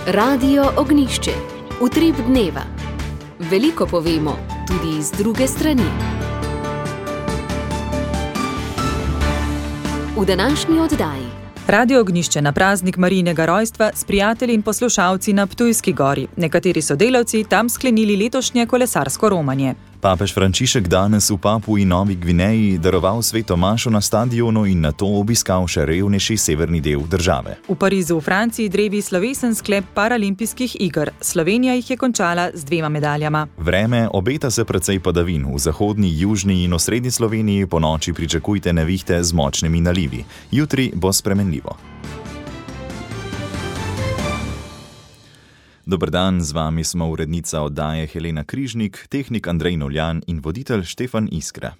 Radio Ognjišče. Utrip dneva. Veliko povemo, tudi iz druge strani. V današnji oddaji. Radio Ognjišče na praznik Marijinega rojstva s prijatelji in poslušalci na Ptujski gori. Nekateri sodelavci tam sklenili letošnje kolesarsko romanje. Papež Frančišek danes v Papui Novi Gvineji daroval sveto mašo na stadionu in nato obiskal še revnejši severni del države. V Parizu v Franciji drevi slovesen sklep paralimpijskih iger. Slovenija jih je končala z 2 medaljama. Vreme obeta se precej padavin. V zahodni, južni in osrednji Sloveniji ponoči pričakujte nevihte z močnimi nalivi. Jutri bo spremenljivo. Dober dan, z vami smo urednica oddaje Helena Križnik, tehnik Andrej Novljan in voditelj Štefan Iskra.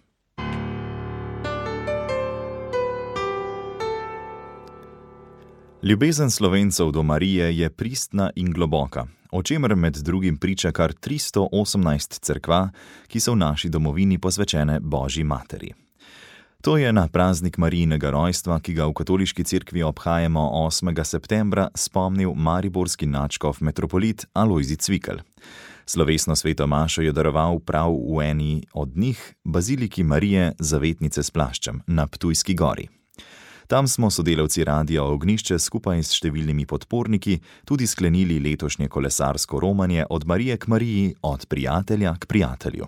Ljubezen Slovencev do Marije je pristna in globoka, o čemer med drugim priča kar 318 cerkva, ki so v naši domovini posvečene Božji materi. To je na praznik Marijinega rojstva, ki ga v katoliški cerkvi obhajamo 8. septembra, spomnil mariborski nadškof metropolit Alojzij Cvikl. Slovesno sveto mašo je daroval prav v eni od njih, baziliki Marije Zavetnice s plaščem na Ptujski gori. Tam smo sodelavci Radia Ognjišče skupaj s številnimi podporniki tudi sklenili letošnje kolesarsko romanje od Marije k Mariji, od prijatelja k prijatelju.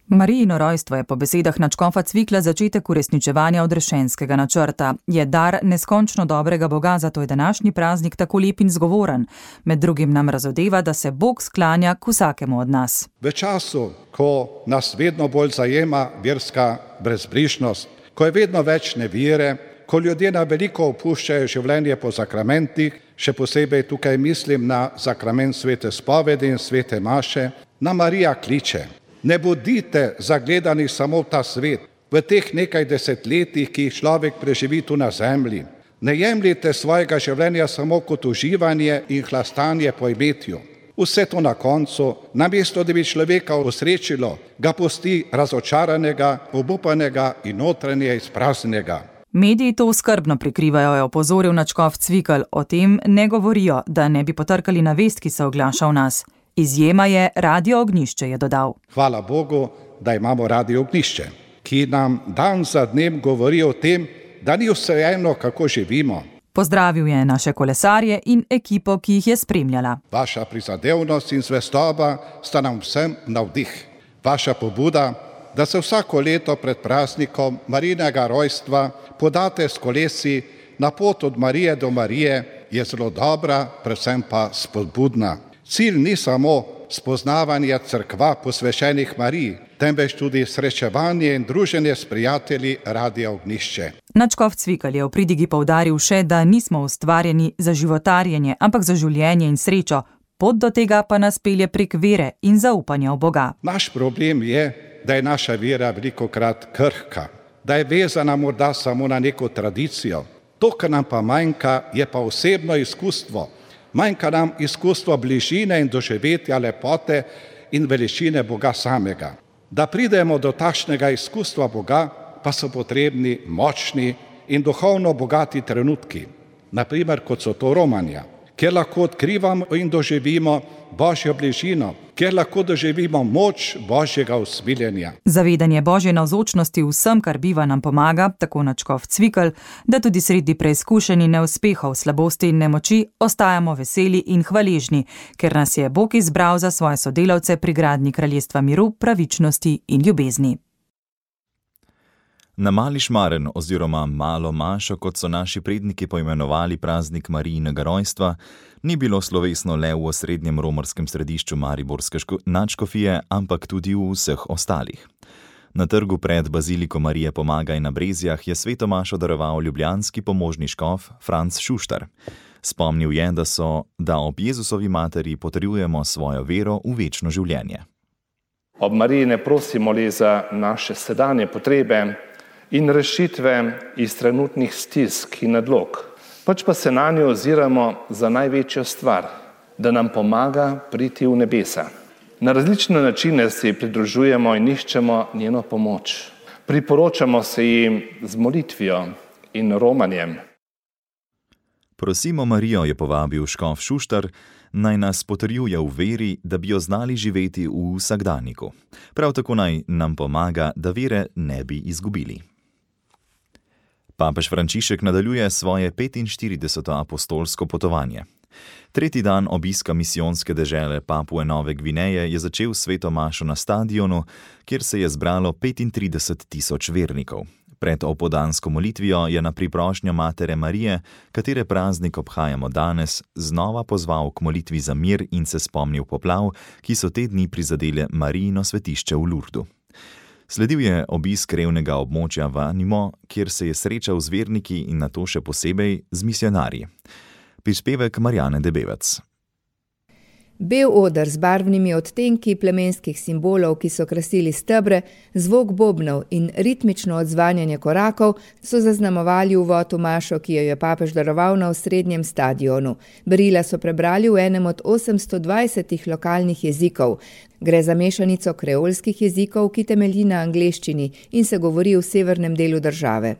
Marijino rojstvo je po besedah nadškofa Cvikla začetek uresničevanja odrešenskega načrta. Je dar neskončno dobrega Boga, zato je današnji praznik tako lep in zgovoren. Med drugim nam razodeva, da se Bog sklanja k vsakemu od nas. V času, ko nas vedno bolj zajema verska brezbrižnost, ko je vedno več nevire, ko ljudje na veliko opuščajo življenje po sakramentih, še posebej tukaj mislim na sakrament svete spovedi in svete maše, nam Marija kliče. Ne bodite zagledani samo v ta svet, v teh nekaj desetletjih, ki jih človek preživi tu na zemlji. Ne jemljite svojega življenja samo kot uživanje in hlastanje po imetju. Vse to na koncu, namesto da bi človeka osrečilo, ga pusti razočaranega, obupanega in notranje izpraznjenega. Mediji to skrbno prikrivajo, je opozoril nadškof Cvikl. O tem ne govorijo, da ne bi potrkali na vest, ki se oglaša v nas. Izjema je Radio Ognjišče, je dodal. Hvala Bogu, da imamo Radio Ognjišče, ki nam dan za dnem govori o tem, da ni vseeno, kako živimo. Pozdravil je naše kolesarje in ekipo, ki jih je spremljala. Vaša prizadevnost in zvestoba sta nam vsem navdih. Vaša pobuda, da se vsako leto pred praznikom Marijinega rojstva podate s kolesi na pot od Marije do Marije, je zelo dobra, predvsem pa spodbudna. Cilj ni samo spoznavanje cerkva posvečenih Mariji, temveč tudi srečevanje in druženje s prijatelji Radia Ognjišče. Nadškof Cvikl je v pridigi poudaril še, da nismo ustvarjeni za životarjenje, ampak za življenje in srečo. Pot do tega pa nas pelje prek vere in zaupanja v Boga. Naš problem je, da je naša vera velikokrat krhka, da je vezana morda samo na neko tradicijo. To, kar nam pa manjka, je pa osebno izkustvo. Manjka nam izkustvo bližine in doživetja lepote in veličine Boga samega. Da pridemo do takšnega izkustva Boga, pa so potrebni močni in duhovno bogati trenutki. Naprimer, kot so to romanja, kjer lahko odkrivamo in doživimo Božjo bližino, kjer lahko doživimo moč Božjega usmiljenja. Zavedanje Božje navzočnosti vsem, kar biva, nam pomaga, tako nadškof Cvikl, da tudi sredi preizkušenj in neuspehov, slabosti in nemoči ostajamo veseli in hvaležni, ker nas je Bog izbral za svoje sodelavce pri gradnji kraljestva miru, pravičnosti in ljubezni. Na Mali Šmaren oziroma Malo mašo, kot so naši predniki poimenovali praznik Marijinega rojstva, ni bilo slovesno le v osrednjem romarskem središču mariborske nadškofije, ampak tudi v vseh ostalih. Na trgu pred baziliko Marije Pomagaj na Brezjah je sveto mašo daroval ljubljanski pomožni škof Franc Šuštar. Spomnil je, da ob Jezusovi materi potrjujemo svojo vero v večno življenje. Ob Mariji ne prosimo le za naše sedanje potrebe in rešitve iz trenutnih stisk in nadlog, pač pa se nanjo oziramo za največjo stvar, da nam pomaga priti v nebesa. Na različne načine si pridružujemo in iščemo njeno pomoč. Priporočamo se jim z molitvijo in romanjem. Prosimo Marijo, je povabil škof Šuštar, naj nas potrjuje v veri, da bi jo znali živeti v vsakdaniku. Prav tako naj nam pomaga, da vere ne bi izgubili. Papež Frančišek nadaljuje svoje 45. apostolsko potovanje. Tretji dan obiska misijonske dežele Papue Nove Gvineje je začel sveto mašo na stadionu, kjer se je zbralo 35.000 vernikov. Pred opoldansko molitvijo je na priprošnjo Matere Marije, katere praznik obhajamo danes, znova pozval k molitvi za mir in se spomnil poplav, ki so te dni prizadele Marijino svetišče v Lurdu. Sledil je obisk revnega območja Vanimo, kjer se je srečal z verniki in nato še posebej z misionarji. Prispevek Marjane Debevec. Bel oder z barvnimi odtenki plemenskih simbolov, ki so krasili stebre, zvok bobnov in ritmično odzvanjanje korakov so zaznamovali uvod v mašo, ki jo je papež daroval na osrednjem stadionu. Berila so prebrali v enem od 820 lokalnih jezikov. Gre za mešanico kreolskih jezikov, ki temelji na angleščini in se govori v severnem delu države.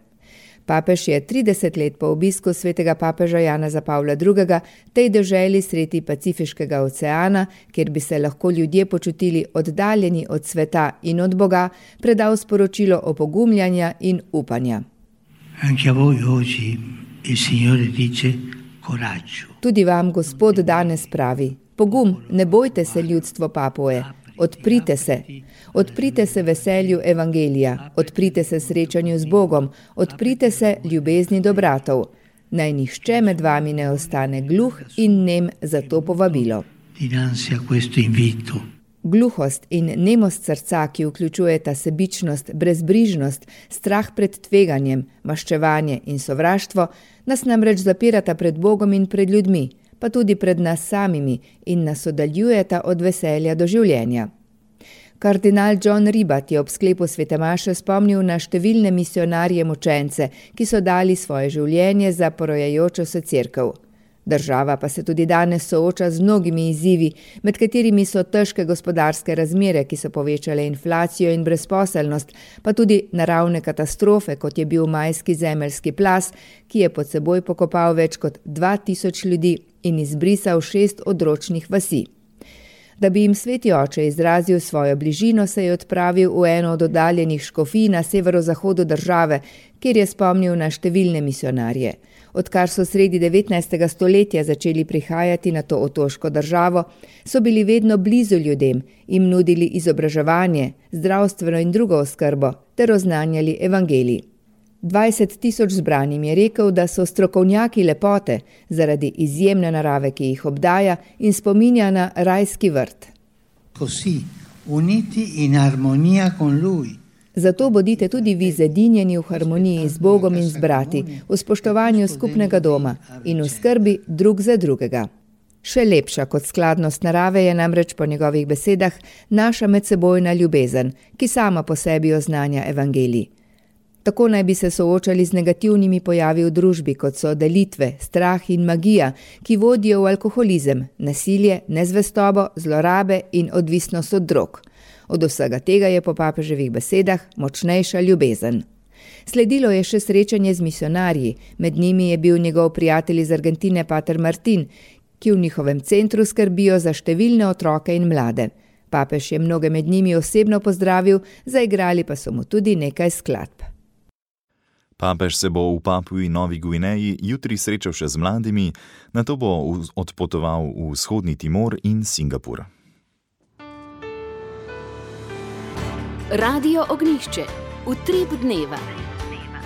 Papež je 30 let po obisku svetega papeža Janeza Pavla II. Tej deželi sredi Pacifiškega oceana, kjer bi se lahko ljudje počutili oddaljeni od sveta in od Boga, predal sporočilo opogumljanja in upanja. Tudi vam Gospod danes pravi: pogum, ne bojte se, ljudstvo Papue. Odprite se veselju evangelija, odprite se srečanju z Bogom, odprite se ljubezni do bratov. Naj nihče med vami ne ostane gluh in nem za to povabilo. Gluhost in nemost srca, ki vključujeta sebičnost, brezbrižnost, strah pred tveganjem, maščevanje in sovraštvo, nas namreč zapirata pred Bogom in pred ljudmi, pa tudi pred nas samimi in nas oddaljujeta od veselja do življenja. Kardinal John Ribat je ob sklepu svete maše spomnil na številne misionarje mučence, ki so dali svoje življenje za porojajočo se cerkev. Država pa se tudi danes sooča z mnogimi izzivi, med katerimi so težke gospodarske razmere, ki so povečale inflacijo in brezposelnost, pa tudi naravne katastrofe, kot je bil majski zemeljski plaz, ki je pod seboj pokopal več kot 2000 ljudi in izbrisal 6 odročnih vasi. Da bi jim sveti oče izrazil svojo bližino, se je odpravil v eno od oddaljenih škofij na severozahodu države, kjer je spomnil na številne misionarje. Odkar so sredi 19. stoletja začeli prihajati na to otoško državo, so bili vedno blizu ljudem, jim nudili izobraževanje, zdravstveno in drugo oskrbo ter oznanjali evangelij. 20.000 zbranim je rekel, da so strokovnjaki lepote zaradi izjemne narave, ki jih obdaja in spominja na rajski vrt. Zato bodite tudi vi zedinjeni v harmoniji z Bogom in z brati, v spoštovanju skupnega doma in v skrbi drug za drugega. Še lepša kot skladnost narave je namreč po njegovih besedah naša medsebojna ljubezen, ki sama po sebi oznanja evangelij. Tako naj bi se soočali z negativnimi pojavi v družbi, kot so delitve, strah in magija, ki vodijo v alkoholizem, nasilje, nezvestobo, zlorabe in odvisnost od drog. Od vsega tega je po papeževih besedah močnejša ljubezen. Sledilo je še srečanje z misionarji, med njimi je bil njegov prijatelj iz Argentine pater Martin, ki v njihovem centru skrbijo za številne otroke in mlade. Papež je mnoge med njimi osebno pozdravil, zaigrali pa so mu tudi nekaj skladb. Papež se bo v Papui Novi Gvineji jutri srečal še z mladimi, nato bo odpotoval v vzhodni Timor in Singapur. Radio Ognjišče, utrip dneva.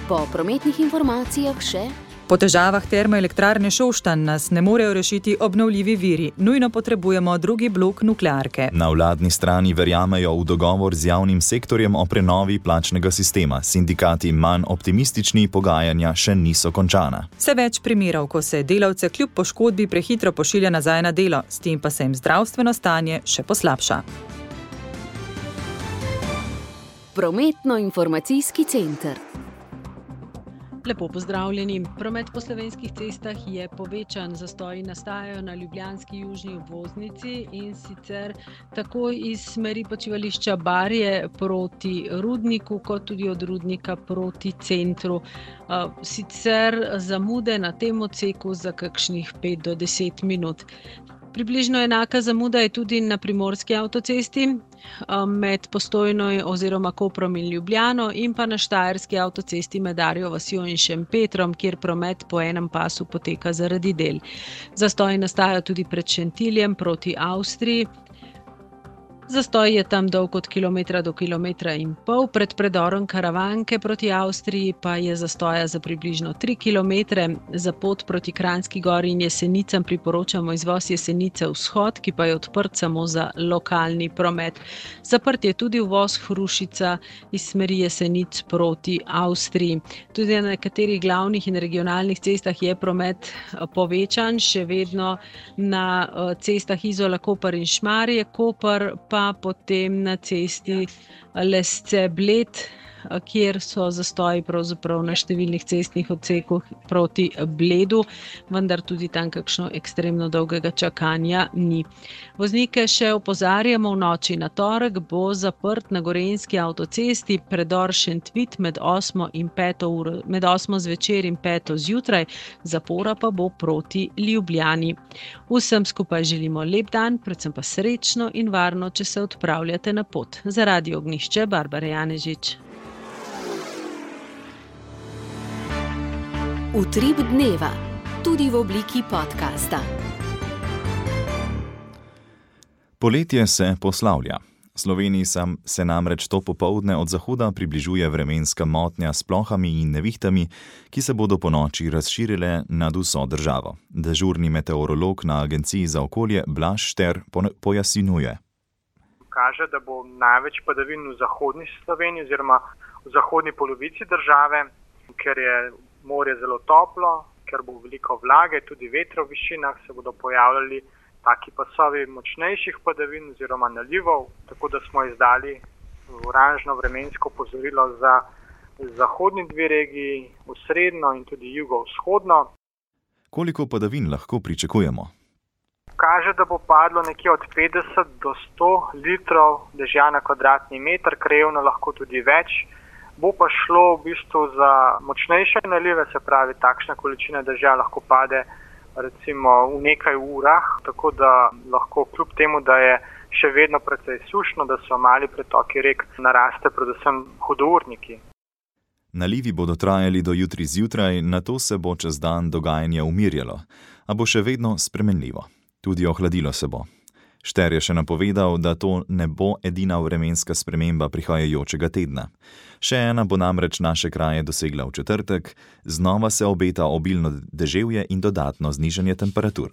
Po prometnih informacijah še: po težavah termoelektrarne Šoštanj nas ne morejo rešiti obnovljivi viri. Nujno potrebujemo drugi blok nuklearke. Na vladni strani verjamejo v dogovor z javnim sektorjem o prenovi plačnega sistema. Sindikati manj optimistični, pogajanja še niso končana. Vse več primerov, ko se delavce kljub poškodbi prehitro pošilja nazaj na delo, s tem pa se jim zdravstveno stanje še poslabša. Prometno-informacijski center. Lepo pozdravljeni. Promet po slovenskih cestah je povečan, zastoji nastajajo na ljubljanski južni obvoznici in sicer tako iz smeri počivališča Barje proti Rudniku, kot tudi od Rudnika proti centru. Sicer zamude na tem odseku za kakšnih 5 do 10 minut. Približno enaka zamuda je tudi na primorski avtocesti med Postojno oziroma Koprom in Ljubljano in pa na štajerski avtocesti med Arjo vasjo in Šempetrom, kjer promet po enem pasu poteka zaradi del. Zastoji nastajajo tudi pred Šentiljem proti Avstriji. Zastoj je tam dolg od kilometra do kilometra in pol, pred predorom Karavanke proti Avstriji pa je zastoja za približno 3 kilometre. Za pot proti Kranjski Gori in Jesenicam priporočamo izvoz Jesenice vzhod, ki pa je odprt samo za lokalni promet. Zaprt je tudi uvoz Hrušica iz smeri Jesenic proti Avstriji. Tudi na nekaterih glavnih in regionalnih cestah je promet povečan, še vedno na cestah Izola-Koper in Šmarje-Koper, pa potem na cesti Lesce-Bled, kjer so zastoji pravzaprav na številnih cestnih odsekih proti Bledu, vendar tudi tam kakšno ekstremno dolgega čakanja ni. Voznike še opozarjamo, v noči na torek bo zaprt na Gorenjski avtocesti predor Šentvit med 8 zvečer in 5 zjutraj, zapora pa bo proti Ljubljani. Vsem skupaj želimo lep dan, predvsem pa srečno in varno, če se odpravljate na pot. Za Radio Ognjišče, Barbara Janežič. Utrip dneva, tudi v obliki podcasta. Poletje se poslavlja. Sloveniji se namreč to popoldne od zahoda približuje vremenska motnja s plohami in nevihtami, ki se bodo ponoči razširile nad vso državo. Dežurni meteorolog na Agenciji za okolje Blaž Šter pojasnjuje. Kaže, da bo največ padavin v zahodni Sloveniji oziroma v zahodni polovici države, ker je morje zelo toplo, ker bo veliko vlage, tudi vetra v višinah, se bodo pojavljali taki pasovi močnejših padavin oziroma nalivov, tako da smo izdali oranžno vremensko opozorilo za zahodni 2 regiji, osrednjo in tudi jugovzhodno. Koliko padavin lahko pričakujemo? Kaže, da bo padlo nekje od 50 do 100 litrov dežja na kvadratni meter, krajevno lahko tudi več. Bo pa šlo v bistvu za močnejše nalive, se pravi, takšna količina dežja lahko pade recimo v nekaj urah, tako da lahko kljub temu, da je še vedno precej sušno, da so mali pretoki rek, naraste predvsem hudourniki. Nalivi bodo trajali do jutri zjutraj, nato se bo čez dan dogajanje umirjalo, a bo še vedno spremenljivo. Tudi ohladilo se bo. Šter je še napovedal, da to ne bo edina vremenska sprememba prihajajočega tedna. Še ena bo namreč naše kraje dosegla v četrtek, znova se obeta obilno deževje in dodatno znižanje temperatur.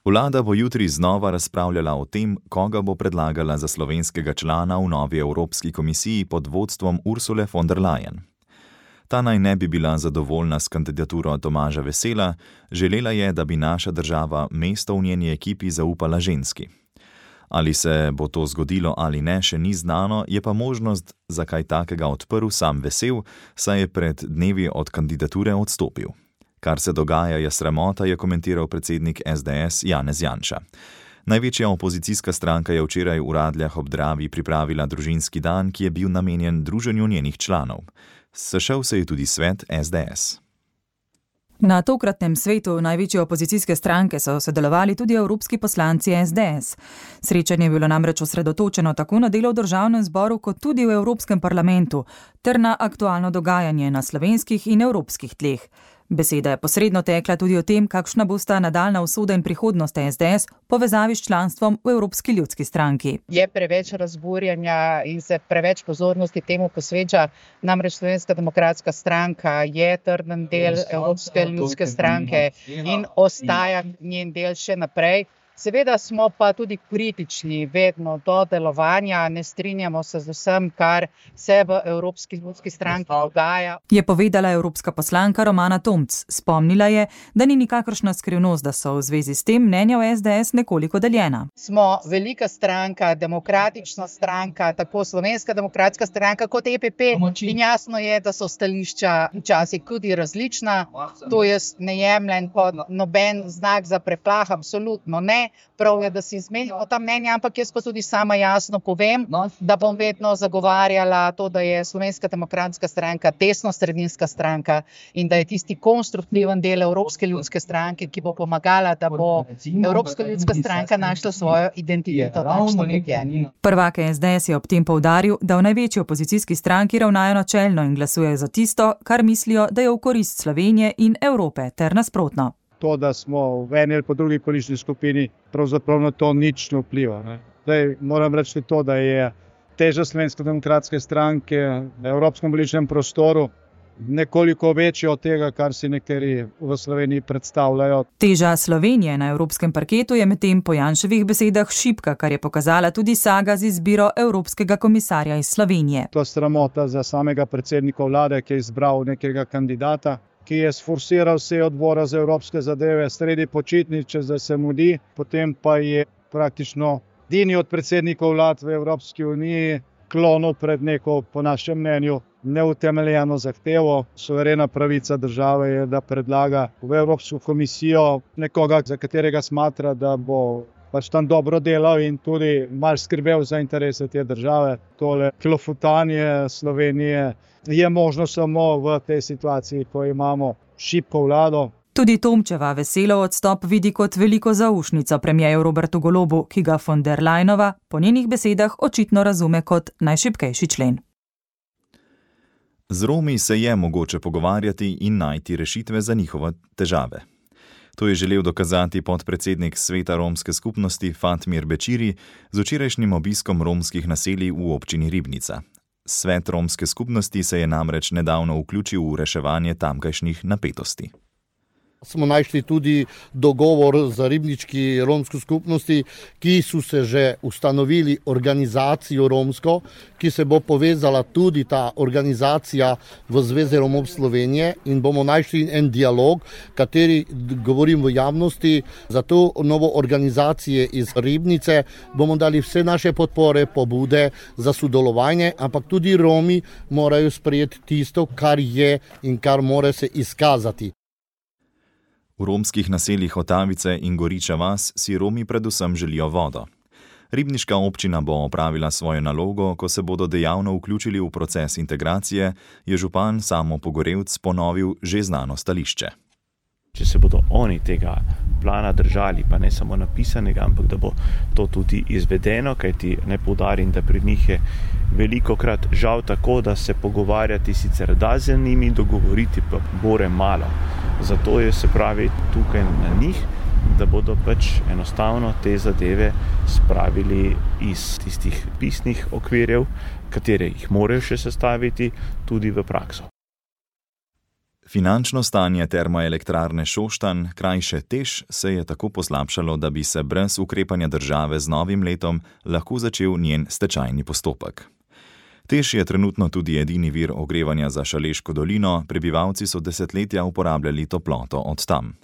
Vlada bo jutri znova razpravljala o tem, koga bo predlagala za slovenskega člana v novi Evropski komisiji pod vodstvom Ursule von der Leyen. Ta naj ne bi bila zadovoljna s kandidaturo Tomaža Vesela, želela je, da bi naša država mesto v njeni ekipi zaupala ženski. Ali se bo to zgodilo ali ne, še ni znano, je pa možnost za kaj takega odprl sam Vesel, saj je pred dnevi od kandidature odstopil. Kar se dogaja, je sramota, je komentiral predsednik SDS Janez Janša. Največja opozicijska stranka je včeraj v Radljah ob Dravi pripravila družinski dan, ki je bil namenjen druženju njenih članov. Sešel se je tudi svet SDS. Na tokratnem svetu največje opozicijske stranke so sodelovali tudi evropski poslanci SDS. Srečanje je bilo namreč osredotočeno tako na delo v državnem zboru kot tudi v Evropskem parlamentu ter na aktualno dogajanje na slovenskih in evropskih tleh. Beseda je posredno tekla tudi o tem, kakšna bosta nadaljna usoda in prihodnost SDS v povezavi s članstvom v Evropski ljudski stranki. Je preveč razburjanja in se preveč pozornosti temu posveča, namreč Slovenska demokratska stranka je trden del Evropske ljudske stranke in ostaja njen del še naprej. Seveda smo pa tudi kritični vedno do delovanja, ne strinjamo se z vsem, kar se v Evropski ljudski stranki dogaja. Je povedala evropska poslanka Romana Tomc. Spomnila je, da ni nikakršna skrivnost, da so v zvezi s tem mnenja v SDS nekoliko deljena. Smo velika stranka, demokratična stranka, tako Slovenska demokratska stranka kot EPP in jasno je, da so stališča včasih tudi različna. To jaz ne jemljem kot noben znak za preplah, absolutno ne. Prav je, da si izmenjamo ta mnenja, ampak jaz pa tudi sama jasno povem, da bom vedno zagovarjala to, da je Slovenska demokratska stranka desno-sredinska stranka in da je tisti konstruktiven del Evropske ljudske stranke, ki bo pomagala, da bo Evropska ljudska stranka našla svojo identiteto. Prvak SDS je ob tem poudaril, da v največji opozicijski stranki ravnajo načelno in glasujejo za tisto, kar mislijo, da je v korist Slovenije in Evrope, ter nasprotno. To, da smo v eni ali po drugi politični skupini, pravzaprav na to nič ne vpliva. Zdaj moram reči to, da je teža Slovenske demokratske stranke na evropskem političnem prostoru nekoliko večja od tega, kar si nekateri v Sloveniji predstavljajo. Teža Slovenije na evropskem parketu je medtem po Janševih besedah šibka, kar je pokazala tudi saga z izbiro evropskega komisarja iz Slovenije. To je sramota za samega predsednika vlade, ki je izbral nekega kandidata, ki je sforsiral vse odbora za evropske zadeve sredi počitnic, da se mudi, potem pa je praktično edini od predsednikov vlad v Evropski uniji klonil pred neko, po našem mnenju, neutemeljeno zahtevo. Suverena pravica države je, da predlaga v Evropsko komisijo nekoga, za katerega smatra, da bo pač tam dobro delal in tudi malo skrbel za interese te države. Tole klofutanje Slovenije je možno samo v tej situaciji, ko imamo šibko vlado. Tudi Tomčeva veselo odstop vidi kot veliko zaušnico premierju Robertu Golobu, ki ga von der Leyenova po njenih besedah očitno razume kot najšibkejši člen. Z Romi se je mogoče pogovarjati in najti rešitve za njihove težave. To je želel dokazati podpredsednik Sveta romske skupnosti Fatmir Bećiri z včerajšnjim obiskom romskih naselij v občini Ribnica. Svet romske skupnosti se je namreč nedavno vključil v reševanje tamkajšnjih napetosti. Smo našli tudi dogovor za ribnički romsko skupnosti, ki so se že ustanovili organizacijo romsko, ki se bo povezala tudi ta organizacija v Zvezi Romov Slovenije in bomo našli en dialog, kateri govorim v javnosti. Za to novo organizacije iz Ribnice bomo dali vse naše podpore, pobude za sodelovanje, ampak tudi Romi morajo sprejeti tisto, kar je in kar mora se izkazati. V romskih naseljih Otavice in Goriča vas si Romi predvsem želijo vodo. Ribniška občina bo opravila svojo nalogo, ko se bodo dejavno vključili v proces integracije, je župan Samo Pogorevc ponovil že znano stališče. Če se bodo oni tega plana držali, pa ne samo napisanega, ampak da bo to tudi izvedeno, kajti ne poudarim, da pri njih je velikokrat žal tako, da se pogovarjati sicer da z njimi, dogovoriti pa bore malo. Zato je se pravi tukaj na njih, da bodo pač enostavno te zadeve spravili iz tistih pisnih okvirjev, katere jih morajo še sestaviti, tudi v prakso. Finančno stanje termoelektrarne Šoštanj, krajše TEŠ, se je tako poslabšalo, da bi se brez ukrepanja države z novim letom lahko začel njen stečajni postopek. TEŠ je trenutno tudi edini vir ogrevanja za Šaleško dolino, prebivalci so desetletja uporabljali toploto od tam.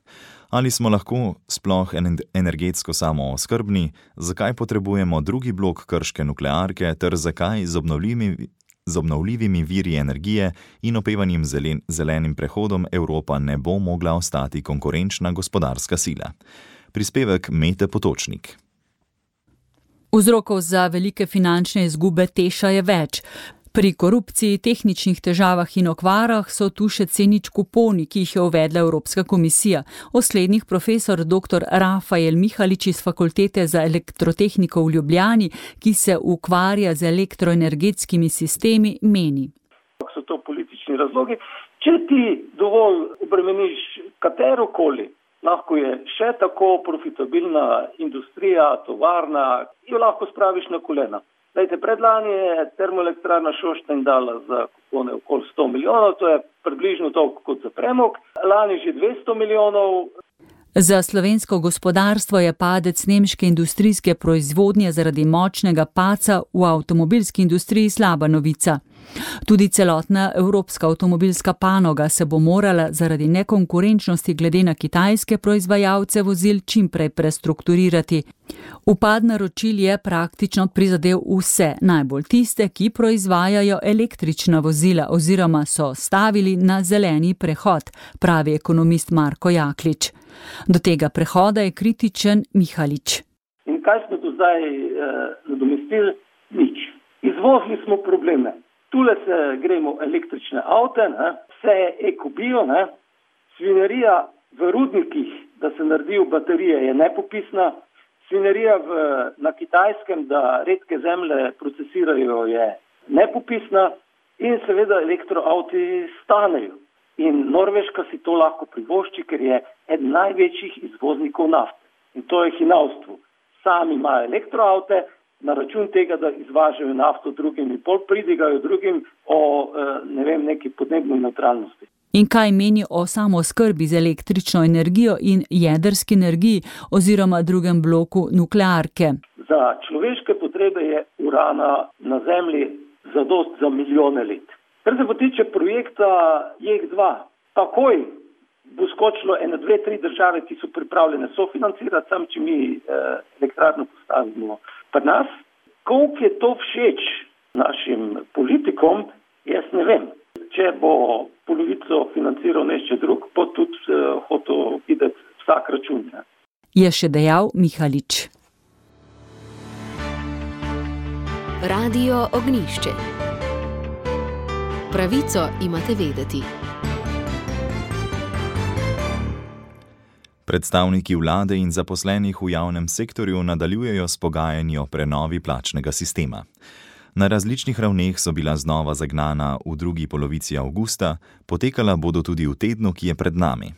Ali smo lahko sploh energetsko samooskrbni, zakaj potrebujemo drugi blok krške nuklearke ter zakaj z obnovljivimi viri energije in opevanim zelenim prehodom Evropa ne bo mogla ostati konkurenčna gospodarska sila. Prispevek Mete Potočnik. Vzrokov za velike finančne izgube TEŠa je več. Pri korupciji, tehničnih težavah in okvarah so tu še C0 kuponi, ki jih je uvedla Evropska komisija. O slednjih profesor dr. Rafael Mihalič iz Fakultete za elektrotehniko v Ljubljani, ki se ukvarja z elektroenergetskimi sistemi, meni. So to politični razlogi. Če ti dovolj obremeniš katerokoli, lahko je še tako profitabilna industrija, tovarna, jo lahko spraviš na kolena. Lejte, predlani je termoelektrarna Šoštanj dala za kupone okoli 100 milijonov, to je približno toliko kot za premog. Lani že 200 milijonov. Za slovensko gospodarstvo je padec nemške industrijske proizvodnje zaradi močnega padca v avtomobilski industriji slaba novica. Tudi celotna evropska avtomobilska panoga se bo morala zaradi nekonkurenčnosti glede na kitajske proizvajalce vozil čimprej prestrukturirati. Upad naročil je praktično prizadel vse, najbolj tiste, ki proizvajajo električna vozila oziroma so stavili na zeleni prehod, pravi ekonomist Marko Jaklič. Do tega prehoda je kritičen Mihalič. In kaj smo do zdaj nadomestili? Nič. Izvozili smo probleme. Tule se gremo električne avte, vse je ekobio, svinerija v rudnikih, da se naredijo baterije, je nepopisna. Svinerija na Kitajskem, da redke zemlje procesirajo, je nepopisna in seveda elektroavti stanejo. In Norveška si to lahko privošči, ker je eden največjih izvoznikov nafte. In to je hinavstvo. Sami imajo elektroavte, na račun tega, da izvažajo nafto drugim in pol pridigajo drugim o neki podnebni neutralnosti. In kaj meni o samooskrbi z električno energijo in jedrski energiji oziroma drugem bloku nuklearke? Za človeške potrebe je urana na Zemlji zadost za milijone let. Kar se pa tiče projekta JEK2, takoj bo skočilo 1, 2, 3 države, ki so pripravljene sofinancirati, sam če mi elektrarno postavimo pri nas. Koliko je to všeč našim politikom, jaz ne vem. Če bo polovico financiral nešče drug, bo tudi hotel videti vsak račun. Je še dejal Mihalič. Radio Ognjišče. Pravico imate vedeti. Predstavniki vlade in zaposlenih v javnem sektorju nadaljujejo s pogajanji o prenovi plačnega sistema. Na različnih ravneh so bila znova zagnana v drugi polovici avgusta, potekala bodo tudi v tednu, ki je pred nami.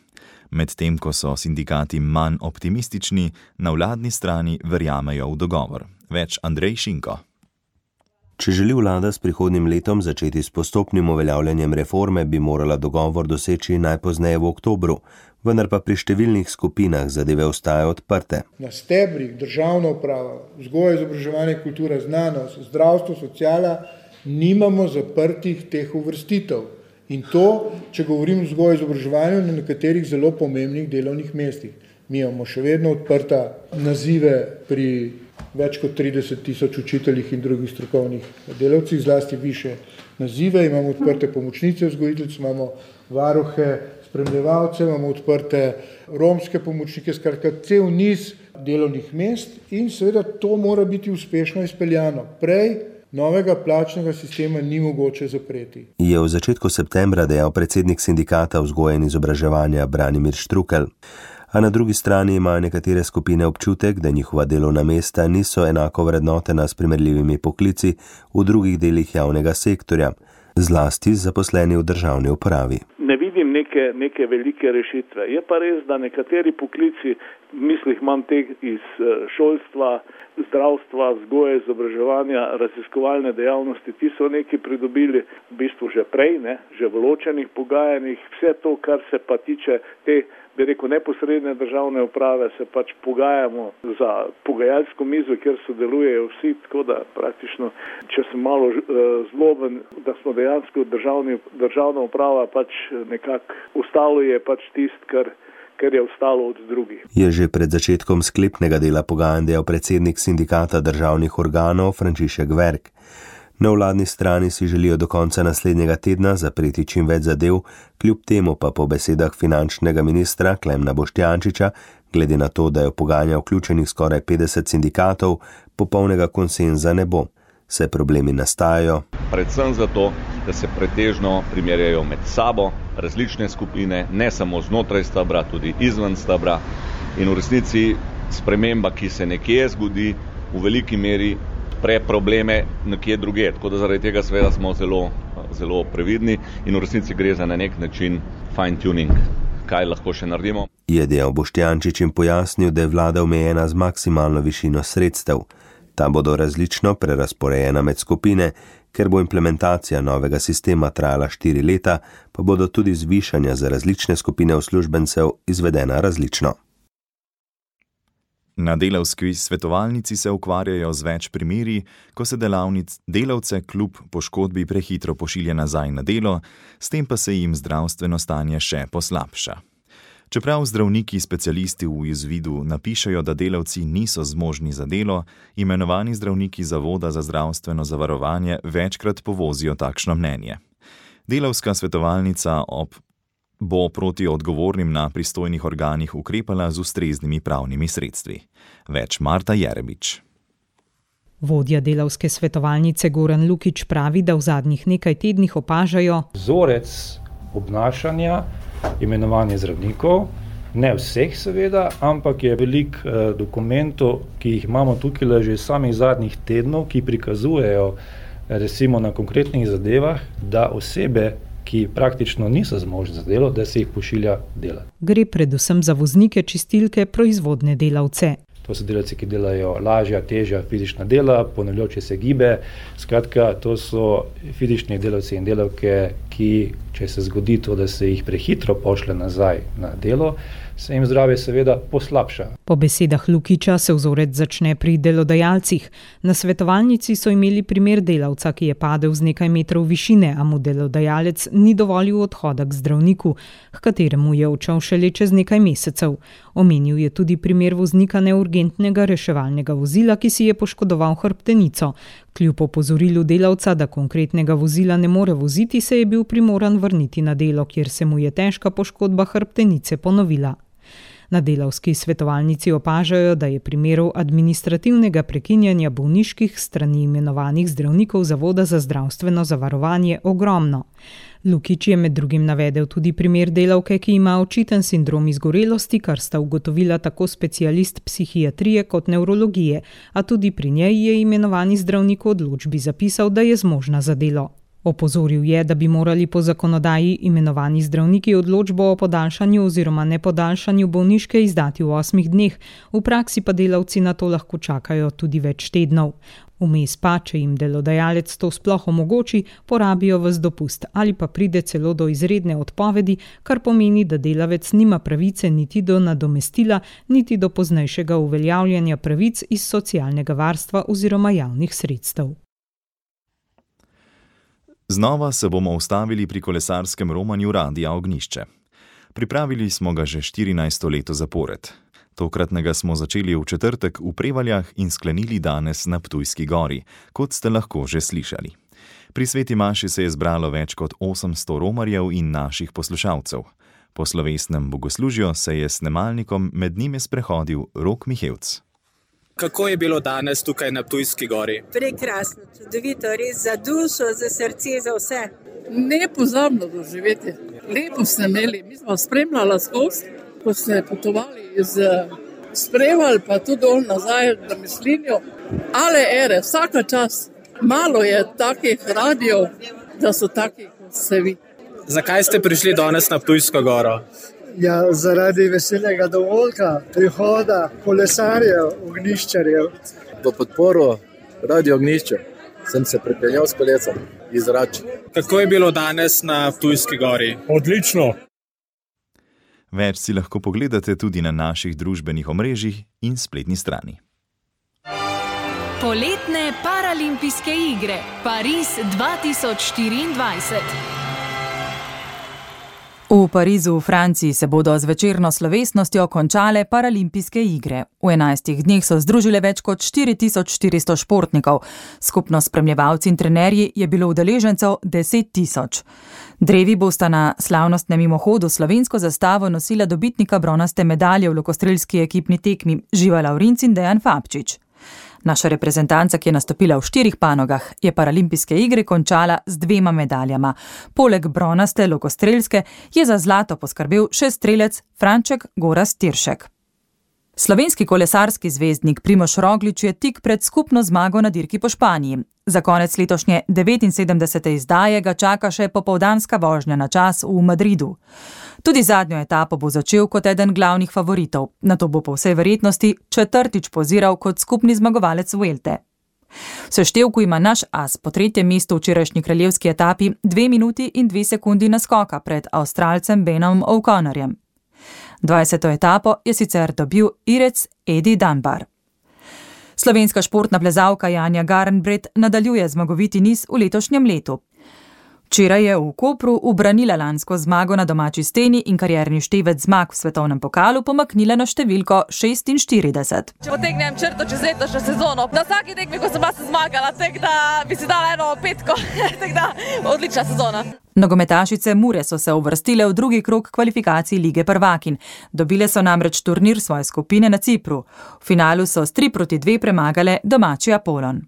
Medtem ko so sindikati manj optimistični, na vladni strani verjamejo v dogovor. Več Andrej Šinko. Če želi vlada s prihodnjim letom začeti s postopnim uveljavljanjem reforme, bi morala dogovor doseči najpozneje v oktobru, vendar pa pri številnih skupinah zadeve ostajajo odprte. Na stebrih državna uprava, vzgoja, izobraževanje, kultura, znanost, zdravstvo, sociala, nimamo zaprtih teh uvrstitev. In to, če govorim o vzgoji, izobraževanju, na nekaterih zelo pomembnih delovnih mestih. Mi imamo še vedno odprta nazive pri več kot 30.000 učiteljih in drugih strokovnih delavcih, zlasti više nazive, imamo odprte pomočnice vzgojiteljic, imamo varuhe, spremljevalce, imamo odprte romske pomočnike, skratka cel niz delovnih mest in seveda to mora biti uspešno izpeljano. Prej novega plačnega sistema ni mogoče zapreti. Je v začetku septembra dejal predsednik sindikata vzgoje in izobraževanja Branimir Štrukelj. A na drugi strani imajo nekatere skupine občutek, da njihova delovna mesta niso enako vrednotena s primerljivimi poklici v drugih delih javnega sektorja, zlasti zaposleni v državni upravi. Ne vidim neke velike rešitve. Je pa res, da nekateri poklici, v mislih imam teh iz šolstva, zdravstva, vzgoje, izobraževanja, raziskovalne dejavnosti, ti so neki pridobili v bistvu že prej, že v ločenih pogajanjih. Vse to, kar se pa tiče te, bi rekel, neposredne državne uprave, se pač pogajamo za pogajalsko mizo, kjer sodelujejo vsi, tako da praktično, če sem malo zloben, da smo dejansko državna uprava pač nekako ostalo je pač tist, kar je ostalo od drugih. Je že pred začetkom sklepnega dela pogajanj dejal predsednik sindikata državnih organov Frančišek Verk. Na vladni strani si želijo do konca naslednjega tedna zapreti čim več zadev, kljub temu pa po besedah finančnega ministra Klemna Boštjančiča, glede na to, da je v pogajanja vključenih skoraj 50 sindikatov, popolnega konsenza ne bo. Se problemi nastajajo. Predvsem zato, da se pretežno primerjajo med sabo različne skupine, ne samo znotraj stebra, tudi izven stebra. In v resnici sprememba, ki se nekje zgodi, v veliki meri probleme nekje drugje. Tako da zaradi tega seveda smo zelo previdni in v resnici gre za na nek način fine tuning. Kaj lahko še naredimo? Je dejal Boštjančič in pojasnil, da je vlada omejena z maksimalno višino sredstev. Ta bodo različno prerazporejena med skupine, ker bo implementacija novega sistema trajala 4 leta, pa bodo tudi zvišanja za različne skupine uslužbencev izvedena različno. Na delavski svetovalnici se ukvarjajo z več primeri, ko se delavce kljub poškodbi prehitro pošilja nazaj na delo, s tem pa se jim zdravstveno stanje še poslabša. Čeprav zdravniki specialisti v izvidu napišejo, da delavci niso zmožni za delo, imenovani zdravniki Zavoda za zdravstveno zavarovanje večkrat povozijo takšno mnenje. Delavska svetovalnica bo proti odgovornim na pristojnih organih ukrepala z ustreznimi pravnimi sredstvi. Več Marta Jerebič. Vodja delavske svetovalnice Goran Lukič pravi, da v zadnjih nekaj tednih opažajo vzorec obnašanja imenovanja zdravnikov, ne vseh seveda, ampak je veliko dokumentov, ki jih imamo tukaj že samih zadnjih tednov, ki prikazujejo recimo na konkretnih zadevah, da osebe, ki praktično niso zmožni za delo, da se jih pošilja delati. Gre predvsem za voznike čistilke, proizvodne delavce. To so delavci, ki delajo lažja, težja fizična dela, ponavljajoče se gibe. Skratka, to so fizični delavci in delavke, ki, če se zgodi to, da se jih prehitro pošlje nazaj na delo, se jim zdravje seveda poslabša. Po besedah Lukiča se vzorec začne pri delodajalcih. Na svetovalnici so imeli primer delavca, ki je padel z nekaj metrov višine, a mu delodajalec ni dovolil odhoda k zdravniku, h kateremu je odšel šele čez nekaj mesecev. Omenil je tudi primer voznika neurgentnega reševalnega vozila, ki si je poškodoval hrbtenico. Kljub opozorilu delavca, da konkretnega vozila ne more voziti, se je bil primoran vrniti na delo, kjer se mu je težka poškodba hrbtenice ponovila. Na delavski svetovalnici opažajo, da je primerov administrativnega prekinjanja bolniških strani imenovanih zdravnikov Zavoda za zdravstveno zavarovanje ogromno. Lukič je med drugim navedel tudi primer delavke, ki ima očiten sindrom izgorelosti, kar sta ugotovila tako specialist psihiatrije kot nevrologije, a tudi pri njej je imenovani zdravnik v odločbi zapisal, da je zmožna za delo. Opozoril je, da bi morali po zakonodaji imenovani zdravniki odločbo o podaljšanju oziroma nepodaljšanju bolniške izdati v 8 dneh, v praksi pa delavci na to lahko čakajo tudi več tednov. Vmes pa, če jim delodajalec to sploh omogoči, porabijo ves dopust ali pa pride celo do izredne odpovedi, kar pomeni, da delavec nima pravice niti do nadomestila, niti do poznejšega uveljavljanja pravic iz socialnega varstva oziroma javnih sredstev. Znova se bomo ustavili pri kolesarskem romanju Radia Ognjišče. Pripravili smo ga že 14. leto zapored. Tokratnega smo začeli v četrtek v Prevaljah in sklenili danes na Ptujski gori, kot ste lahko že slišali. Pri sveti maši se je zbralo več kot 800 romarjev in naših poslušalcev. Po slovesnem bogoslužju se je s snemalnikom med njimi sprehodil Rok Mihevc. Kako je bilo danes tukaj na Ptujski gori? Prekrasno, čudovito, res za dušo, za srce, za vse. Nepozabno doživeti. Lepo ste imeli, mi smo spremljali skozi, ko ste potovali iz Prevalj, pa tudi dol nazaj na Mislinjo. Ale ere, vsaka čas. Malo je takih radijev, da so taki kot ste vi. Zakaj ste prišli danes na Ptujsko goro? Ja, zaradi veselega dovolka, prihoda kolesarjev, ognjiščarjev. V podporo Radio Ognjišče sem se pripeljal s kolecem iz Rač. Kako je bilo danes na Ptujski gori? Odlično. Več si lahko pogledate tudi na naših družbenih omrežjih in spletni strani. Poletne paralimpijske igre Pariz 2024. V Parizu v Franciji se bodo z večerno slovesnostjo končale paralimpijske igre. V 11 dneh so združile več kot 4400 športnikov. Skupno spremljevalci in trenerji je bilo udeležencev 10 000. Drevi bosta na slavnostnem mimohodu slovensko zastavo nosila dobitnika bronaste medalje v lokostrelski ekipni tekmi Živa Lavrinc in Dejan Fabčič. Naša reprezentanca, ki je nastopila v 4 panogah, je paralimpijske igre končala z 2 medaljama. Poleg bronaste lokostrelske je za zlato poskrbel še strelec Franček Gorazd Tiršek. Slovenski kolesarski zvezdnik Primož Roglič je tik pred skupno zmago na dirki po Španiji. Za konec letošnje 79. izdaje ga čaka še popoldanska vožnja na čas v Madridu. Tudi zadnjo etapo bo začel kot eden glavnih favoritov, nato bo po vsej verjetnosti 4. poziral kot skupni zmagovalec Vuelte. V seštevku ima naš as po 3. mestu v včerajšnji kraljevski etapi 2 minuti in 2 sekundi naskoka pred Avstralcem Benom O'Connorjem. 20. etapo je sicer dobil Irec Edi Dunbar. Slovenska športna plezalka Janja Garnbret nadaljuje zmagoviti niz v letošnjem letu. Včeraj je v Kopru ubranila lansko zmago na domači steni in karierni števec zmag v svetovnem pokalu pomaknila na številko 46. Če potegnem črto čez letošnjo sezono, na vsaki tekmi, ko sem vas zmagala, tako da bi si dala eno petko, tako da odlična sezona. Nogometašice Mure so se uvrstile v drugi krog kvalifikacij Lige prvakinj. Dobile so namreč turnir svoje skupine na Cipru. V finalu so s 3-2 premagale domači Apollon.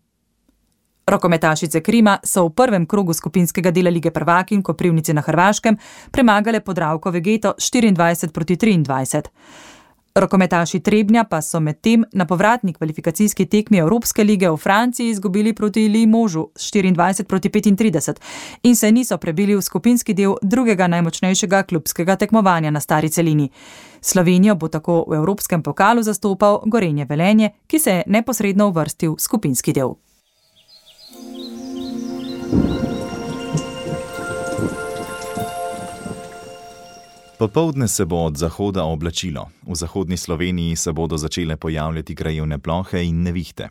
Rokometašice Krima so v prvem krogu skupinskega dela Lige prvakinj Koprivnici na Hrvaškem premagale Podravko Vegeto 24-23. Rokometaši Trebnja pa so medtem na povratni kvalifikacijski tekmi Evropske lige v Franciji izgubili proti Limožu 24-35 in se niso prebili v skupinski del drugega najmočnejšega klubskega tekmovanja na stari celini. Slovenijo bo tako v Evropskem pokalu zastopal Gorenje Velenje, ki se je neposredno uvrstil v skupinski del. Popoldne se bo od zahoda oblačilo. V zahodni Sloveniji se bodo začele pojavljati krajevne plohe in nevihte.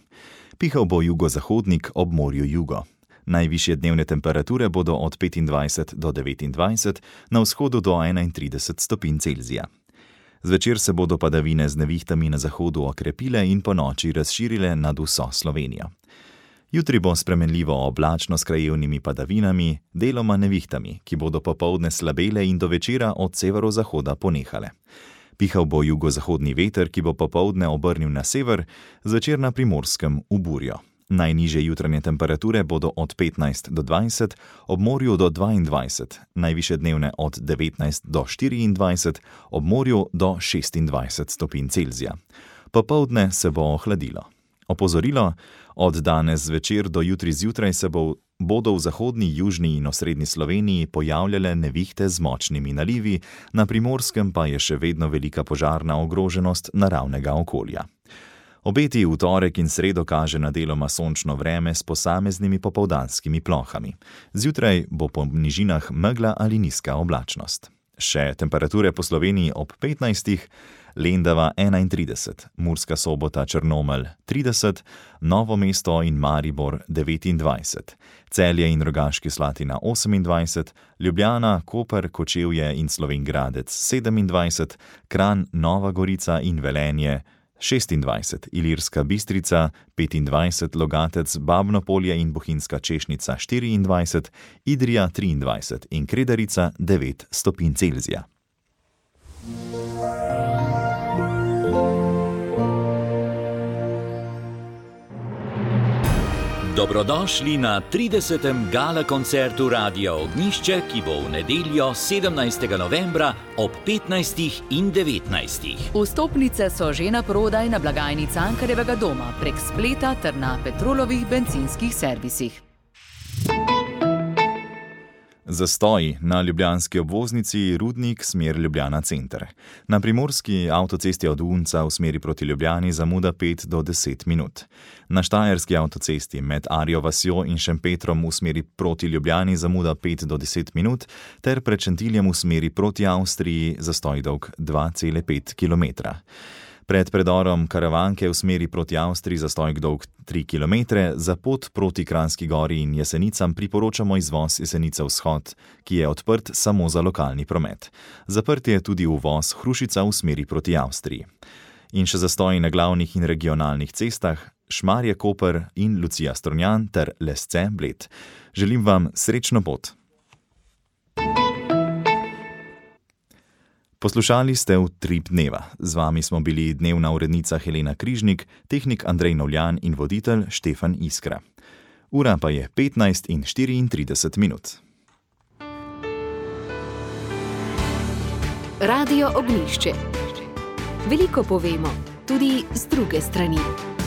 Pihal bo jugozahodnik ob morju jugo. Najvišje dnevne temperature bodo od 25 do 29, na vzhodu do 31 stopinj Celzija. Zvečer se bodo padavine z nevihtami na zahodu okrepile in po noči razširile nad vso Slovenijo. Jutri bo spremenljivo oblačno s krajevnimi padavinami, deloma nevihtami, ki bodo popoldne slabele in do večera od severozahoda ponehale. Pihal bo jugozahodni veter, ki bo popoldne obrnil na sever, zvečer na Primorskem v burjo. Najnižje jutranje temperature bodo od 15 do 20, ob morju do 22, najvišje dnevne od 19 do 24, ob morju do 26 stopinj Celzija. Popoldne se bo ohladilo. Opozorilo, od danes zvečer do jutri zjutraj se bodo v zahodni, južni in osrednji Sloveniji pojavljale nevihte z močnimi nalivi, na Primorskem pa je še vedno velika požarna ogroženost naravnega okolja. Obeti v torek in sredo kaže na deloma sončno vreme s posameznimi popoldanskimi plohami. Zjutraj bo po nižinah megla ali nizka oblačnost. Še temperature po Sloveniji ob 15, Lendava 31, Murska Sobota, Črnomelj 30, Novo mesto in Maribor 29, Celje in Rogaški Slatina 28, Ljubljana, Koper, Kočevje in Slovenj Gradec 27, Kranj, Nova Gorica in Velenje 26, Ilirska Bistrica 25, Logatec, Babno Polje in Bohinjska Češnica 24, Idrija 23 in Kredarica 9 stopinj Celzija. Dobrodošli na 30. gala koncertu Radia Ognjišče, ki bo v nedeljo 17. novembra ob 15. in 19. Vstopnice so že na prodaj na blagajni Cankarjevega doma prek spleta ter na Petrolovih bencinskih servisih. Zastoj na ljubljanski obvoznici Rudnik smer Ljubljana center. Na primorski avtocesti od Unca v smeri proti Ljubljani zamuda 5 do 10 minut. Na štajerski avtocesti med Arjo vasjo in Šempetrom v smeri proti Ljubljani zamuda 5 do 10 minut ter pred Šentiljem v smeri proti Avstriji zastoj dolg 2,5 km. Pred predorom Karavanke v smeri proti Avstriji zastoj dolg 3 km, za pot proti Kranjski gori in Jesenicam priporočamo izvoz Jesenice vzhod, ki je odprt samo za lokalni promet. Zaprt je tudi uvoz Hrušica v smeri proti Avstriji. In še zastoj na glavnih in regionalnih cestah Šmarje Koper in Lucija Strunjan ter Lesce Bled. Želim vam srečno pot. Poslušali ste Utrip dneva. Z vami smo bili dnevna urednica Helena Križnik, tehnik Andrej Novljan in voditelj Štefan Iskra. Ura pa je 15 in 34 minut. Radio Ognjišče. Veliko povemo, tudi z druge strani.